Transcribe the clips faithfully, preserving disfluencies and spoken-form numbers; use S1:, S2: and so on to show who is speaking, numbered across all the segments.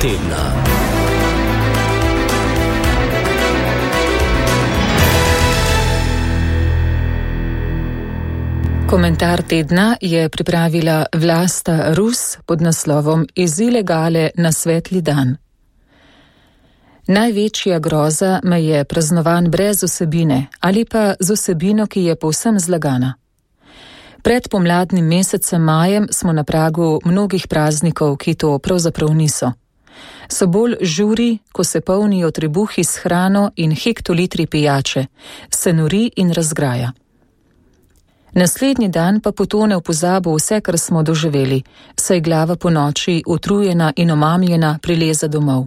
S1: tedna.
S2: Komentar tedna je pripravila Vlasta Rus pod naslovom Iz ilegale na svetli dan. Največja groza me je praznovan brez vsebine ali pa z vsebino, ki je povsem zlagana. Pred pomladnim mesecem majem smo na pragu mnogih praznikov, ki to pravzaprav niso. So bolj žuri, ko se polnijo trebuhi s hrano in hektolitri pijače, se nori in razgraja. Naslednji dan pa potone v pozabo vse, kar smo doživeli, saj glava po noči, utrujena in omamljena, prileze domov.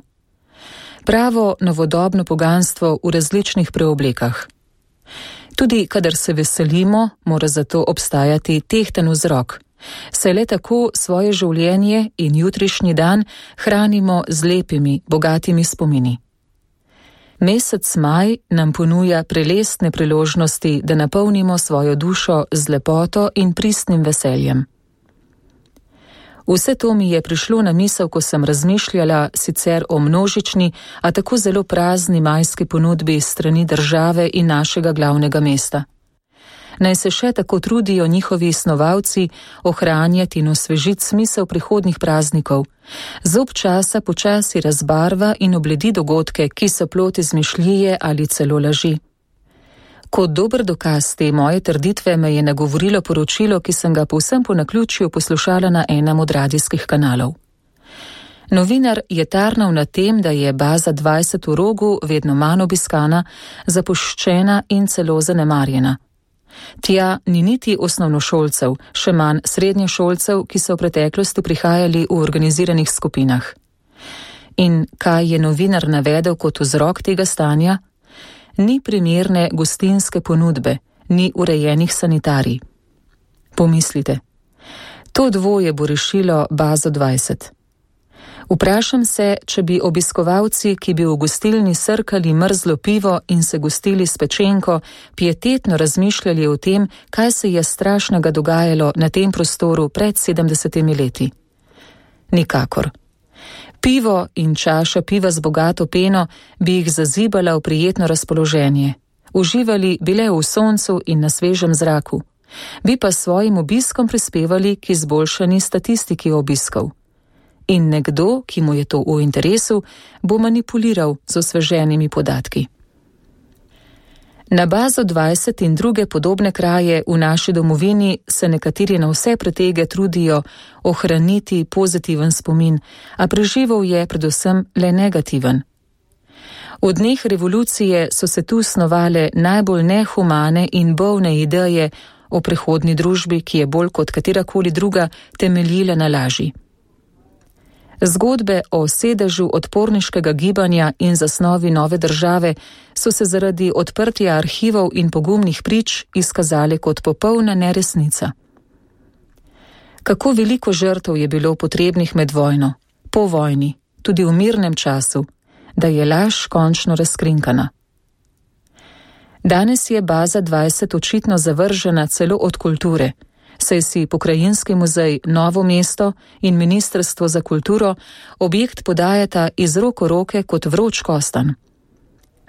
S2: Pravo novodobno poganstvo v različnih preoblekah. Tudi kadar se veselimo, mora zato obstajati tehten vzrok, saj le tako svoje življenje in jutrišnji dan hranimo z lepimi, bogatimi spomini. Mesec maj nam ponuja prelestne priložnosti, da napolnimo svojo dušo z lepoto in pristnim veseljem. Vse to mi je prišlo na misel, ko sem razmišljala sicer o množični, a tako zelo prazni majski ponudbi strani države in našega glavnega mesta. Naj se še tako trudijo njihovi snovalci ohranjati in osvežiti smisel prihodnjih praznikov, zob časa počasi razbarva in obledi dogodke, ki so plod izmišljije ali celo laži. Kot dober dokaz te moje trditve me je nagovorilo poročilo, ki sem ga povsem po naključju poslušala na enem od radijskih kanalov. Novinar je tarnal na tem, da je baza dvajset v Rogu vedno manj obiskana, zapuščena in celo zanemarjena. Tja ni niti osnovnošolcev, še manj srednješolcev, ki so v preteklosti prihajali v organiziranih skupinah. In kaj je novinar navedel kot vzrok tega stanja? Ni primerne gostinske ponudbe, ni urejenih sanitarij. Pomislite, to dvoje bo rešilo bazo dvajset. Vprašam se, če bi obiskovalci, ki bi v gostilni srkali mrzlo pivo in se gostili s pečenko, pietetno razmišljali o tem, kaj se je strašnega dogajalo na tem prostoru pred sedemdesetimi leti. Nikakor. Pivo in čaša piva z bogato peno bi jih zazibala v prijetno razpoloženje. Uživali bile v soncu in na svežem zraku. Bi pa svojim obiskom prispevali k izboljšani statistiki obiskov. In nekdo, ki mu je to v interesu, bo manipuliral z osveženimi podatki. Na bazo dvajset in druge podobne kraje v naši domovini se nekateri na vse pretege trudijo ohraniti pozitiven spomin, a preživel je predvsem le negativen. V dneh revolucije so se tu snovale najbolj nehumane in bolne ideje o prehodni družbi, ki je bolj kot katerakoli druga temeljila na laži. Zgodbe o sedežu odporniškega gibanja in zasnovi nove države so se zaradi odprtja arhivov in pogumnih prič izkazale kot popolna neresnica. Kako veliko žrtev je bilo potrebnih med vojno, po vojni, tudi v mirnem času, da je laž končno razkrinkana. Danes je baza dvajset očitno zavržena celo od kulture, saj si Pokrajinski muzej Novo mesto in Ministrstvo za kulturo objekt podajata iz roko roke kot vroč kostan.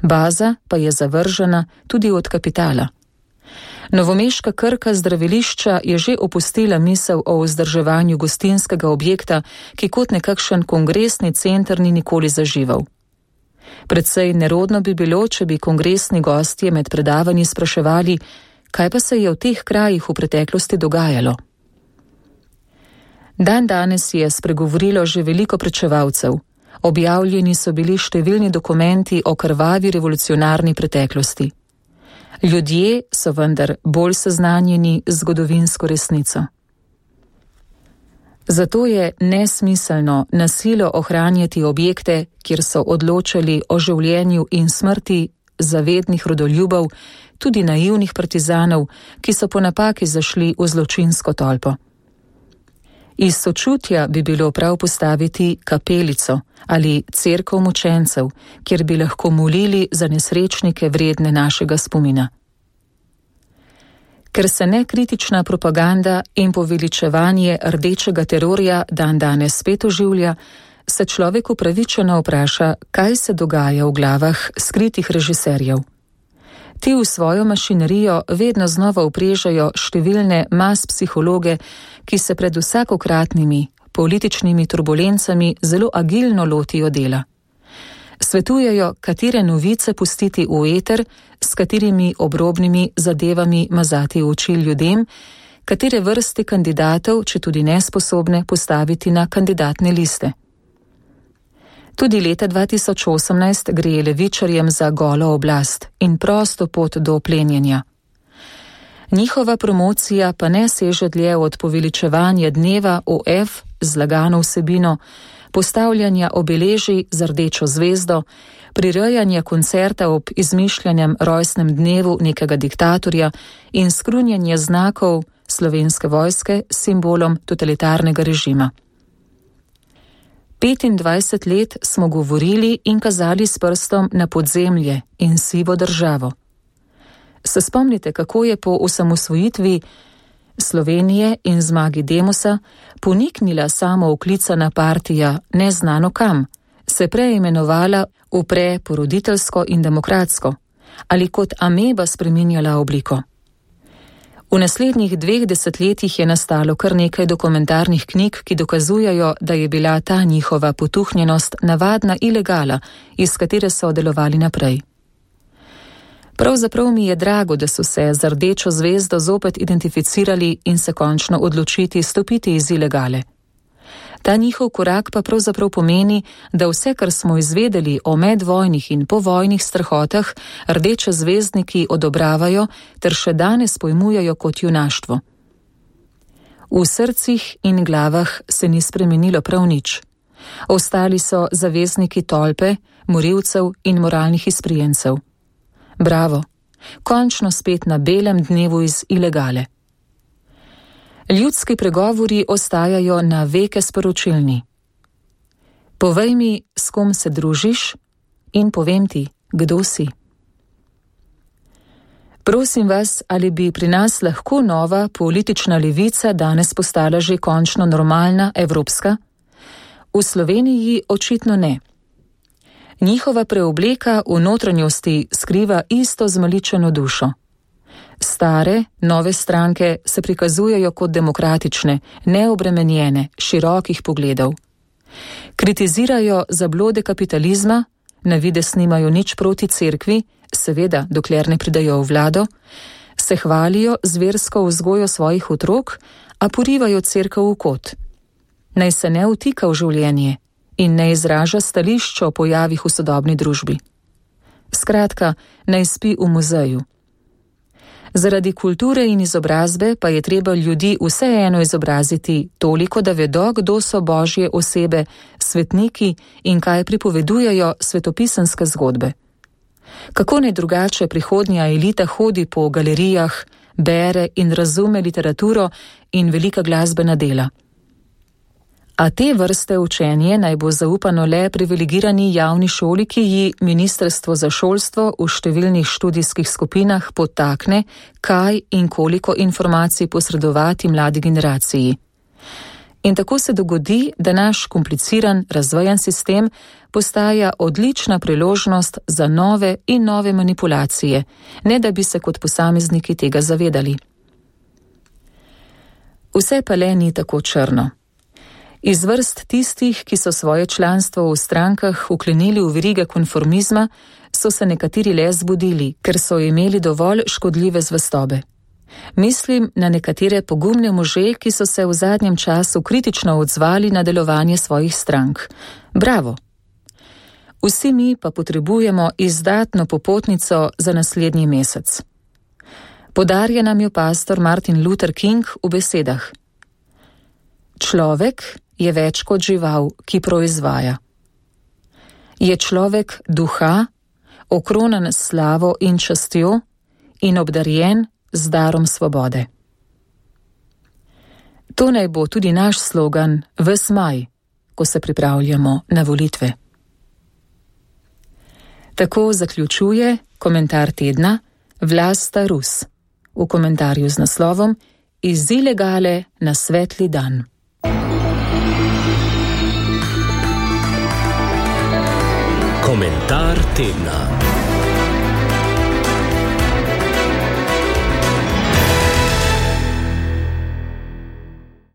S2: Baza pa je zavržena tudi od kapitala. Novomeška Krka zdravilišča je že opustila misel o vzdrževanju gostinskega objekta, ki kot nekakšen kongresni center ni nikoli zažival. Predvsej nerodno bi bilo, če bi kongresni gostje med predavanji spraševali, kaj pa se je v teh krajih v preteklosti dogajalo. Dan danes je spregovorilo že veliko pričevalcev. Objavljeni so bili številni dokumenti o krvavi revolucionarni preteklosti. Ljudje so vendar bolj seznanjeni z zgodovinsko resnico. Zato je nesmiselno na silo ohranjati objekte, kjer so odločali o življenju in smrti zavednih rodoljubov, tudi naivnih partizanov, ki so po napaki zašli v zločinsko tolpo. Iz sočutja bi bilo prav postaviti kapelico ali cerkev mučencev, kjer bi lahko molili za nesrečnike vredne našega spomina. Ker se nekritična propaganda in poveličevanje rdečega terorja dan danes spet oživlja, se človek upravičeno vpraša, kaj se dogaja v glavah skritih režiserjev. Ti v svojo mašinerijo vedno znova uprežajo številne mas psihologe, ki se pred vsakokratnimi političnimi turbulencami zelo agilno lotijo dela. Svetujejo, katere novice pustiti v eter, s katerimi obrobnimi zadevami mazati oči ljudem, katere vrste kandidatov, če tudi nesposobne, postaviti na kandidatne liste. Tudi leta dva tisoč osemnajst gre levičarjem za golo oblast in prosto pot do plenjenja. Njihova promocija pa ne seže dlje od poveličevanja dneva O F z lagano vsebino, postavljanja obeležij z rdečo zvezdo, prirejanja koncerta ob izmišljanjem rojstnem dnevu nekega diktatorja in skrunjanje znakov Slovenske vojske s simbolom totalitarnega režima. petindvajset let smo govorili in kazali s prstom na podzemlje in sivo državo. Se spomnite, kako je po osamosvojitvi Slovenije in zmagi Demosa poniknila samooklicana partija neznano kam, se preimenovala v preporoditeljsko in demokratsko ali kot ameba spreminjala obliko. V naslednjih dveh desetletjih je nastalo kar nekaj dokumentarnih knjig, ki dokazujejo, da je bila ta njihova potuhnjenost navadna ilegala, iz katere so delovali naprej. Pravzaprav mi je drago, da so se z rdečo zvezdo zopet identificirali in se končno odločiti stopiti iz ilegale. Ta njihov korak pa pravzaprav pomeni, da vse, kar smo izvedeli o medvojnih in povojnih strahotah, rdeče zvezdniki odobravajo ter še danes pojmujejo kot junaštvo. V srcih in glavah se ni spremenilo prav nič. Ostali so zavezniki tolpe, morilcev in moralnih izprijencev. Bravo, končno spet na belem dnevu iz ilegale. Ljudski pregovori ostajajo na veke sporočilni. Povej mi, s kom se družiš, in povem ti, kdo si. Prosim vas, ali bi pri nas lahko nova politična levica danes postala že končno normalna, evropska? V Sloveniji očitno ne. Njihova preobleka v notranjosti skriva isto zmaličeno dušo. Stare, nove stranke se prikazujejo kot demokratične, neobremenjene, širokih pogledov. Kritizirajo zablode kapitalizma, na vides nimajo nič proti cerkvi, seveda, dokler ne pridajo v vlado, se hvalijo z versko vzgojo svojih otrok, a porivajo cerkev v kot. Naj se ne vtika v življenje in ne izraža stališča o pojavih v sodobni družbi. Skratka, naj spi v muzeju. Zaradi kulture in izobrazbe pa je treba ljudi vseeno izobraziti toliko, da vedo, kdo so božje osebe, svetniki in kaj pripovedujejo svetopisanske zgodbe. Kako ne drugače prihodnja elita hodi po galerijah, bere in razume literaturo in velika glasbena dela. A te vrste učenje naj bo zaupano le privilegirani javni šoli, ki ji Ministrstvo za šolstvo v številnih študijskih skupinah podtakne, kaj in koliko informacij posredovati mladi generaciji. In tako se dogodi, da naš kompliciran, razvejan sistem postaja odlična priložnost za nove in nove manipulacije, ne da bi se kot posamezniki tega zavedali. Vse pa le ni tako črno. Iz vrst tistih, ki so svoje članstvo v strankah vklenili v verige konformizma, so se nekateri le zbudili, ker so imeli dovolj škodljive zvestobe. Mislim na nekatere pogumne može, ki so se v zadnjem času kritično odzvali na delovanje svojih strank. Bravo! Vsi mi pa potrebujemo izdatno popotnico za naslednji mesec. Podarja nam jo pastor Martin Luther King v besedah: človek je več kot žival, ki proizvaja. Je človek duha, okronan s slavo in častjo in obdarjen z darom svobode. To naj bo tudi naš slogan ves maj, ko se pripravljamo na volitve. Tako zaključuje komentar tedna Vlasta Rus v komentarju z naslovom Iz ilegale na svetli dan.
S1: Komentar tedna.